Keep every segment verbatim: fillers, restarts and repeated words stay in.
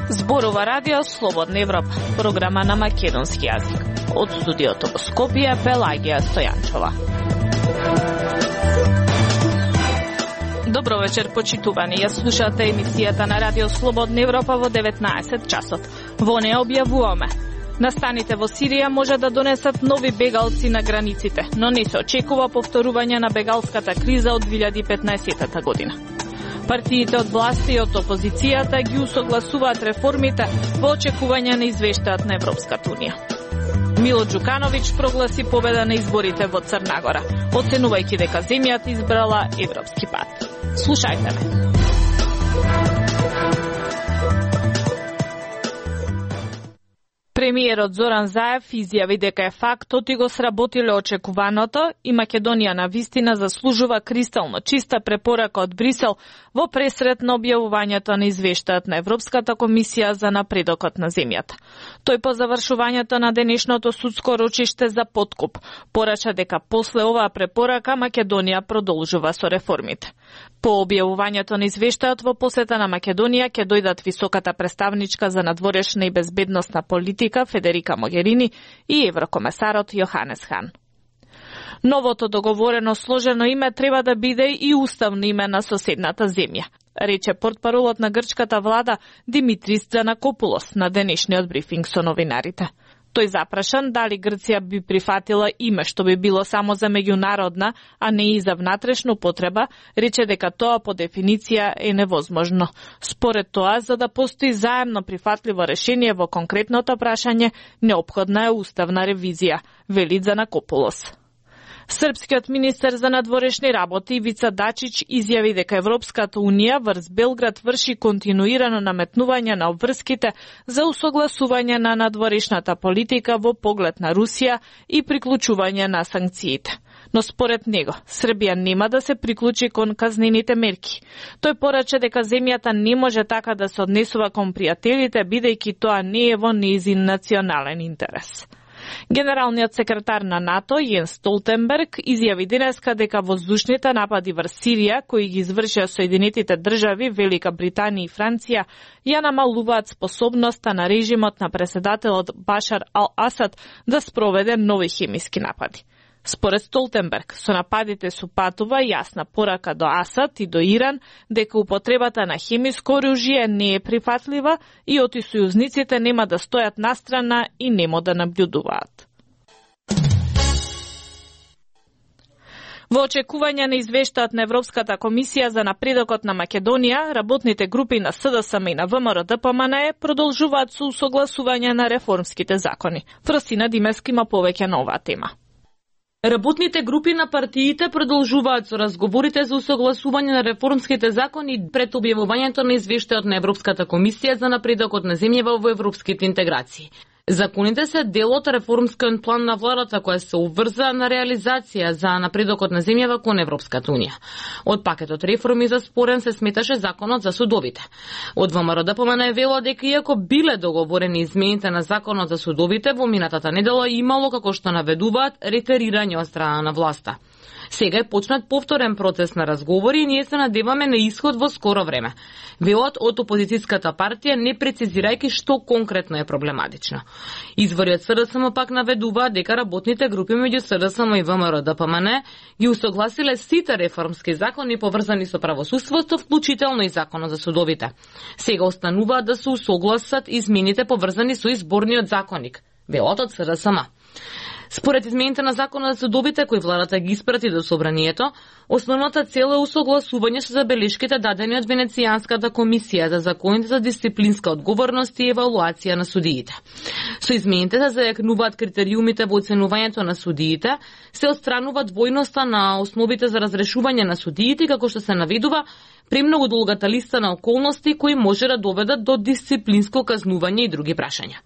Зборува Радио Слободна Европа, програма на македонски јазик. Од студиото во Скопје, Пелагија Стојанчова. Добро вечер, почитувани. Ја слушате емисијата на Радио Слободна Европа во деветнаесет часот. Во неја објавуваме: настаните во Сирија може да донесат нови бегалци на границите, но не се очекува повторување на бегалската криза од две илјади и петнаесетта година. Партиите од власти и од опозицијата ги усогласуваат реформите во очекување на извештајот на Европската унија. Мило Џукановиќ прогласи победа на изборите во Црна Гора, оценувајќи дека земјата избрала европски пат. Слушајте ме. Премиерот Зоран Заев изјави дека е фактот и го сработиле очекуваното и Македонија на вистина заслужува кристално чиста препорака од Брисел во пресрет на објавувањето на извештајот на Европската комисија за напредокот на земјата. Тој по завршувањето на денешното судско рочиште за подкуп порача дека после оваа препорака Македонија продолжува со реформите. По објавувањето на извештајот во посета на Македонија ќе дојдат високата представничка за надворешна и безбедносна политика Федерика Могерини и еврокомесарот Јоханес Хан. Новото договорено сложено име треба да биде и уставно име на соседната земја, рече портпаролот на грчката влада Димитрис Tzanakopoulos на денешниот брифинг со новинарите. Тој запрашан дали Грција би прифатила име што би било само за меѓународна, а не и за внатрешна потреба, рече дека тоа по дефиниција е невозможно. Според тоа, за да постои заемно прифатливо решение во конкретното прашање, неопходна е уставна ревизија, вели Tzanakopoulos. Српскиот министер за надворешни работи Ивица Дачич изјави дека Европската унија врз Белград врши континуирано наметнување на обврските за усогласување на надворешната политика во поглед на Русија и приклучување на санкциите. Но според него, Србија нема да се приклучи кон казнените мерки. Тој порача дека земјата не може така да се однесува кон пријателите, бидејќи тоа не е во нејзин национален интерес. Генералниот секретар на НАТО Јенс Столтенберг изјави денеска дека воздушните напади врз Сирија, кои ги извршија Соединетите држави, Велика Британија и Франција, ја намалуваат способноста на режимот на преседателот Башар ал-Асад да спроведе нови хемиски напади. Според Столтенберг, со нападите супатува јасна порака до Асад и до Иран дека употребата на хемиско оружје не е прифатлива и оти сојузниците нема да стојат настрана и нема да наблюдуваат. Во очекување на извештајот на Европската комисија за напредокот на Македонија, работните групи на С Д С М и на В М Р Д П М Н Е продолжуваат со усогласување на реформските закони. Фросина Димески има повеќе на оваа тема. Работните групи на партиите продолжуваат со разговорите за усогласување на реформските закони пред објавувањето на извештајот на Европската комисија за напредокот на земјава во европските интеграции. Законите се дел од реформскиот план на владата која се обврза на реализација за напредокот на земјава кон Европската унија. Од пакетот реформи за спорен се сметаше законот за судовите. Од В М Р Д П М Н Е вело дека иако биле договорени измените на законот за судовите во минатата недела имало, како што наведуваат, ретерирање од страна на власта. Сега е почнат повторен процес на разговори и ние се надеваме на исход во скоро време. Велат од опозицијската партија не прецизирајќи што конкретно е проблематично. Извори од С Д С М пак наведуваат дека работните групи меѓу С Д С М и В М Р Д П М Н Е ги усогласиле сите реформски закони поврзани со правосудството, вклучително и законот за судовите. Сега остануваат да се усогласат измените поврзани со изборниот законник, велат од С Д С М. Според измените на законот за судовите кои владата ги испрати до собранието, основната цел е усогласување со забелешките дадени од Венецијанската комисија за законите за дисциплинска одговорност и евалуација на судиите. Со измените се зајакнуваат критериумите во оценувањето на судиите, се отстранува двојноста на основите за разрешување на судиите, како што се наведува премногу долгата листа на околности кои може да доведат до дисциплинско казнување и други прашања.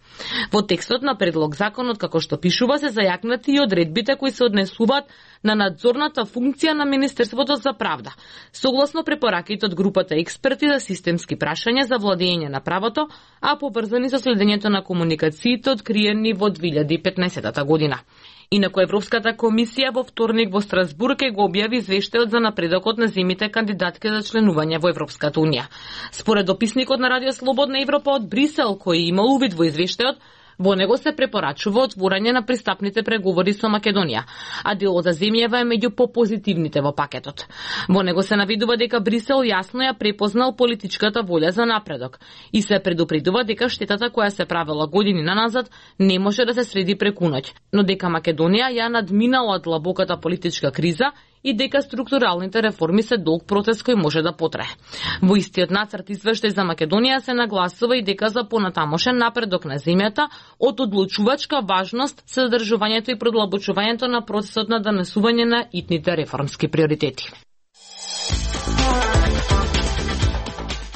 Во текстот на предлог законот, како што пишува, се зајакнати и одредбите кои се однесуваат на надзорната функција на Министерството за правда, согласно препораките од групата експерти за системски прашања за владење на правото, а поврзани со следењето на комуникациите откриени во две илјади и петнаесетта година. Инаку Европската комисија во вторник во Страсбург ќе го објави извештајот за напредокот на земјите кандидатки за членување во Европската унија. Според дописникот на Радио Слободна Европа од Брисел, кој имал увид во извештајот, во него се препорачува отворање на пристапните преговори со Македонија, а делот за земјава е меѓу попозитивните во пакетот. Во него се навидува дека Брисел јасно ја препознал политичката волја за напредок и се предупредува дека штетата која се правела години наназад не може да се среди преку ноќ, но дека Македонија ја надминала длабоката политичка криза и дека структуралните реформи се долг процес кој може да потрае. Во истиот нацрт извештај за Македонија се нагласува и дека за понатамошен напредок на земјата од одлучувачка важност се задржувањето и продлабочувањето на процесот на донесување на итните реформски приоритети.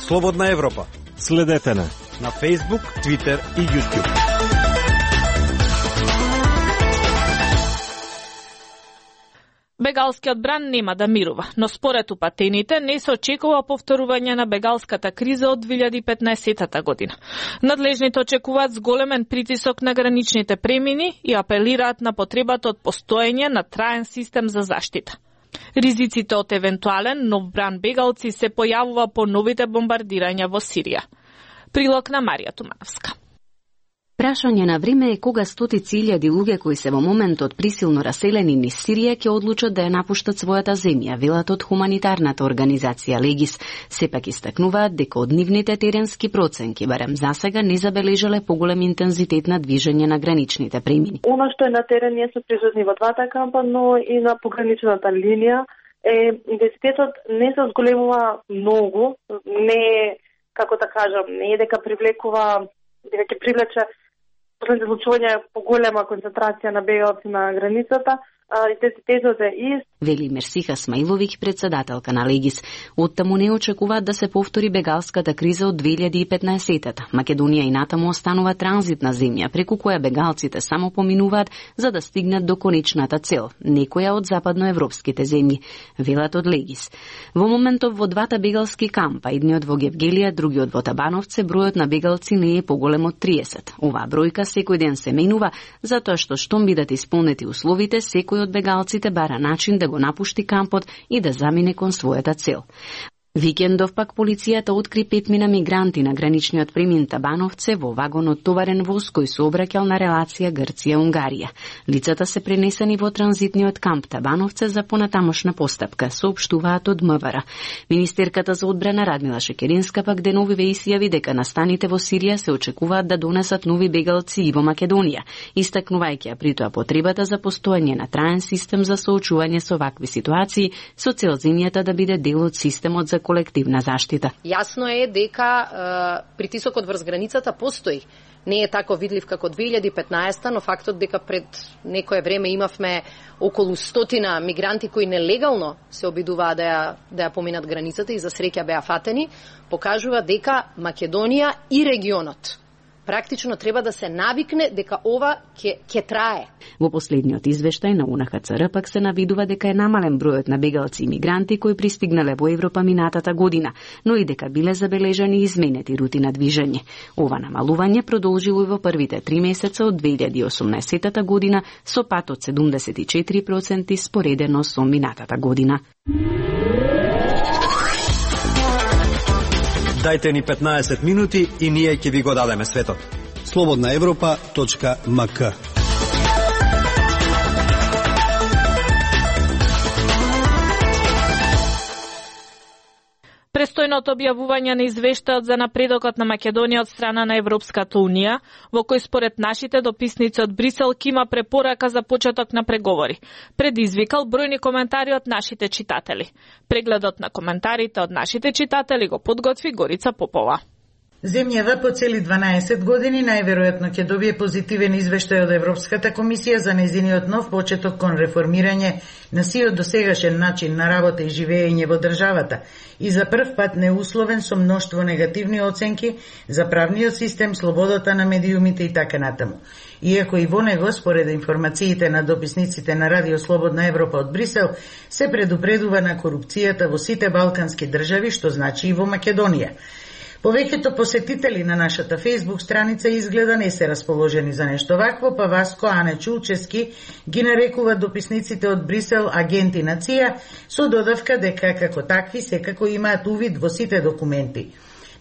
Слободна Европа. Следете на на Facebook, Twitter и YouTube. Бегалскиот бран нема да мирува, но според упатените не се очекува повторување на бегалската криза од две илјади и петнаесетта година. Надлежните очекуваат зголемен притисок на граничните премини и апелираат на потребата од постоење на траен систем за заштита. Ризиците од евентуален нов бран бегалци се појавува по новите бомбардирања во Сирија. Прилог на Марија Тумановска. Прашање на време е кога стотици илјади луѓе кои се во моментот присилно раселени низ Сирија ќе одлучат да ја напуштат својата земја, велат од хуманитарната организација Легис. Сепак истакнуваат дека од нивните теренски проценки барем засега не забележале поголем интензитет на движење на граничните премини. Она што е на терен, ние сме присутни во двата кампа, но и на пограничната линија е интензитетот не се зголемува многу, не е, како да кажам, не е дека привлекува, дека ќе привлече последните случувања поголема концентрација на бегалци на границата, интензитетот е ист. Вели Мерсиха Смаиловиќ, председателка на Легис. Оттаму не очекуваат да се повтори бегалската криза од две илјади и петнаесетта. Македонија и натаму останува транзитна земја, преку која бегалците само поминуваат за да стигнат до конечната цел, некоја од западноевропските земји, велат од Легис. Во моментов во двата бегалски кампа, едниот во Гевгелија, другиот во Табановце, бројот на бегалци не е поголем од триесет. Оваа бројка секој ден се менува, затоа што штом бидат исполнети условите, секој од бегалците бара начин да го напушти кампот и да замине кон својата цел. Викендов пак полицијата откри петмина мигранти на граничниот премин Табановце во вагон од товарен воз кој се обраќал на релација Грција-Унгарија. Лицата се пренесени во транзитниот камп Табановце за понатамошна постапка, соопштуваат од МВР. Министерката за одбрана Радмила Шекеринска пак деновиве изјави дека настаните во Сирија се очекуваат да донесат нови бегалци и во Македонија, истакнувајќи ја при тоа потребата за постоење на траен систем за соочување со вакви ситуации, со цел земјата да биде дел од системот за колективна заштита. Јасно е дека е, притисокот врз границата постои. Не е тако видлив како две илјади и петнаесетта, но фактот дека пред некое време имавме околу стотина мигранти кои нелегално се обидуваа да ја, да ја поминат границата и за среќа беа фатени, покажува дека Македонија и регионот практично треба да се навикне дека ова ќе ќе трае. Во последниот извештај на У Н Х Ц Р пак се навидува дека е намален бројот на бегалци и мигранти кои пристигнале во Европа минатата година, но и дека биле забележани изменети рути на движење. Ова намалување продолжило и во првите три месеца од две илјади и осумнаесетта година со пат од седумдесет и четири проценти споредено со минатата година. Дајте ни петнаесет минути и ние ќе ви го дадеме светот. слободна европа точка м к Престојното објавување на извештајот за напредокот на Македонија од страна на Европската Унија, во кој според нашите дописници од Брисел ќе има препорака за почеток на преговори, предизвикал бројни коментари од нашите читатели. Прегледот на коментарите од нашите читатели го подготви Горица Попова. Земјава по цели дванаесет години најверојатно ќе добие позитивен извештај од Европската комисија за нејзиниот нов почеток кон реформирање на сиот досегашен начин на работа и живење во државата и за прв пат неусловен со мноштво негативни оценки за правниот систем, слободата на медиумите и така натаму. Иако и во него, според информациите на дописниците на Радио Слободна Европа од Брисел, се предупредува на корупцијата во сите балкански држави, што значи и во Македонија. Повеќето посетители на нашата Facebook страница изгледа не се расположени за нешто вакво, па Васко Ане Чулчески ги нарекува дописниците од Брисел агенти на ЦИА со додавка дека како такви секако имаат увид во сите документи.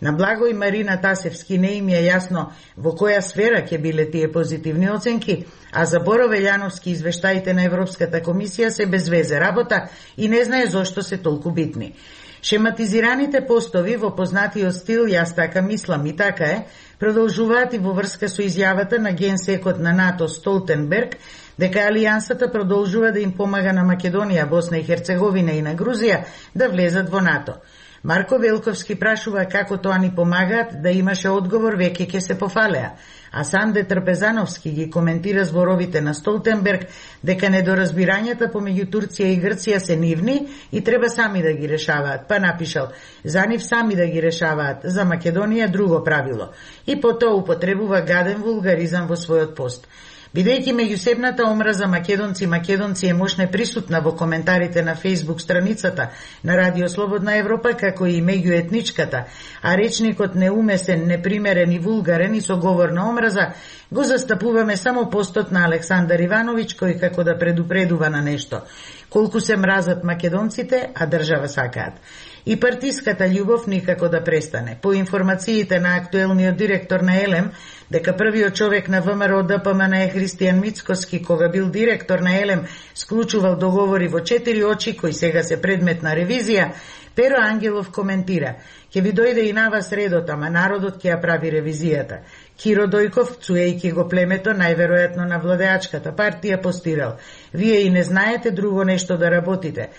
На Благој Марина Тасевски не им е јасно во која сфера ќе биле тие позитивни оценки, а за Боро Велјановски извештаите на Европската комисија се без везе работа и не знае зошто се толку битни. Шематизираните постови во познатиот стил "Јас така мислам и така е" продолжуваат и во врска со изјавата на генсекот на НАТО Столтенберг дека Алијансата продолжува да им помага на Македонија, Босна и Херцеговина и на Грузија да влезат во НАТО. Марко Велковски прашува како тоа ни помагаат, да имаше одговор веќе ќе се пофалеа. А Санде Трпезановски ги коментира зборовите на Столтенберг дека недоразбирањата помеѓу Турција и Грција се нивни и треба сами да ги решаваат. Па напишал: за нив сами да ги решаваат, за Македонија друго правило. И потоа употребува гаден вулгаризам во својот пост. Бидејќи меѓусебната омраза македонци македонци е мощне присутна во коментарите на Facebook страницата на Радио Слободна Европа, како и меѓуетничката, а речникот неумесен, непримерен и вулгарен и со говор на омраза, го застапуваме само постот на Александар Ивановиќ, кој како да предупредува на нешто. Колку се мразат македонците, а држава сакаат. И партиската љубов никако да престане. По информациите на актуелниот директор на Елем, дека првиот човек на ВМРО Д П М Н е Христијан Мицкоски, кога бил директор на Елем, склучувал договори во четири очи, кои сега се предмет на ревизија, Перо Ангелов коментира: ќе ви дојде и на вас редот, ама народот ќе ја прави ревизијата. Киро Дојков, цуејки го племето, најверојатно на владеачката партија, постирал: вие и не знаете друго нешто да работите.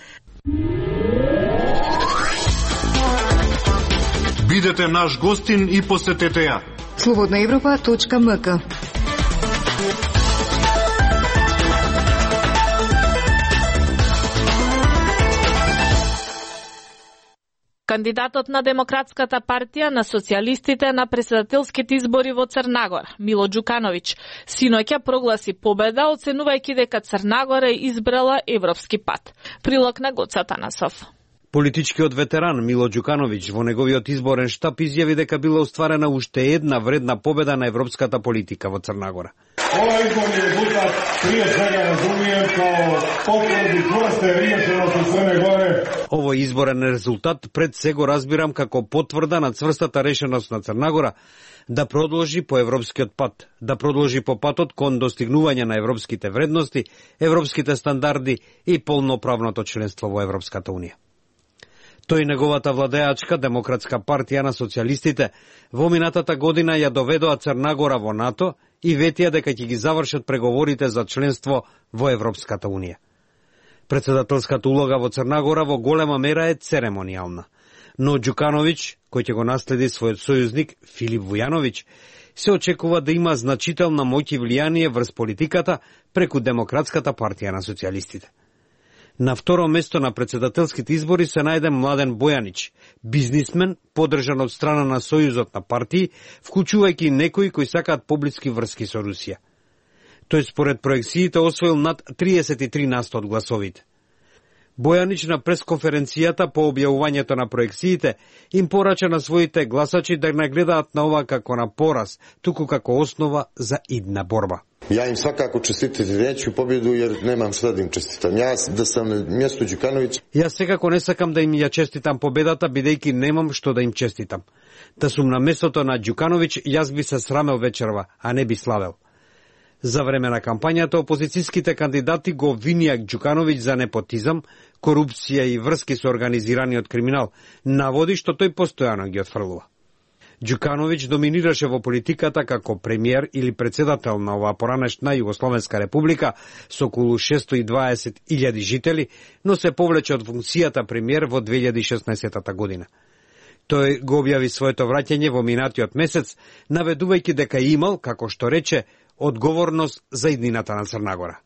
Бидете наш гостин и посетете ја. слободна европа точка м к. Кандидатот на Демократската партија на социјалистите на претседателските избори во Црнагора, Мило Џукановиќ, синоќа прогласи победа, оценувајќи дека Црнагора е избрала европски пат. Прилог на Гоца Танасов. Политичкиот ветеран Мило Џукановиќ во неговиот изборен штаб изјави дека била остварена уште една вредна победа на европската политика во Црнагора. Ова изборни резултат прije svega разумием као потврди чврсте решеност у Црне Горе. Овој изборен резултат пред се го разбирам како потврда на цврстата решеност на Црнагора да продолжи по европскиот пат, да продолжи по патот кон достигнување на европските вредности, европските стандарди и полноправното членство во Европската унија. Тој и неговата владеачка Демократска партија на социјалистите во минатата година ја доведоа Црнагора во НАТО и ветија дека ќе ги завршат преговорите за членство во Европската унија. Претседателската улога во Црнагора во голема мера е церемонијална, но Џукановиќ, кој ќе го наследи својот сојузник Филип Вујановиќ, се очекува да има значителна моќ и влијание врз политиката преку Демократската партија на социјалистите. На второ место на претседателските избори се најде Младен Бојанич, бизнисмен, подржан од страна на Сојузот на партии, вклучувајќи некои кои сакаат поблиски врски со Русија. Тој според проекциите освоил над триесет и три на сто од гласовите. Бојанич на пресконференцијата по објавувањето на проекциите им порача на своите гласачи да не гледаат на ова како на пораз, туку како основа за идна борба. Ja im svakako čestitati neću pobjedu jer nemam šta da im čestitam. Ja da sam na mjestu Đukanovića. Јас секако не сакам да им ја честитам победата, бидејќи немам што да им честитам. Да сум на местото на Ѓукановиќ, јас би се срамел вечерва, а не би славел. За време на кампањата опозицијските кандидати го обвинија Ѓукановиќ за непотизам, корупција и врски со организираниот криминал, наводи што тој постојано ги отфрлува. Ѓукановиќ доминираше во политиката како премиер или председател на оваа поранешна Југословенска република со околу шестои и дваесет илјади жители, но се повлече од функцијата премиер во две илјади и шеснаесета година. Тој го објави своето враќање во минатиот месец, наведувајќи дека имал, како што рече, одговорност за иднината на Црнагора.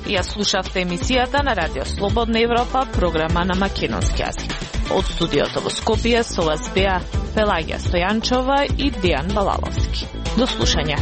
Ја слушавте емисијата на Радио Слободна Европа, програма на македонски јазик. Од студиото во Скопје со вас беа Пелагија Стојанчова и Дијан Балаловски. До слушање.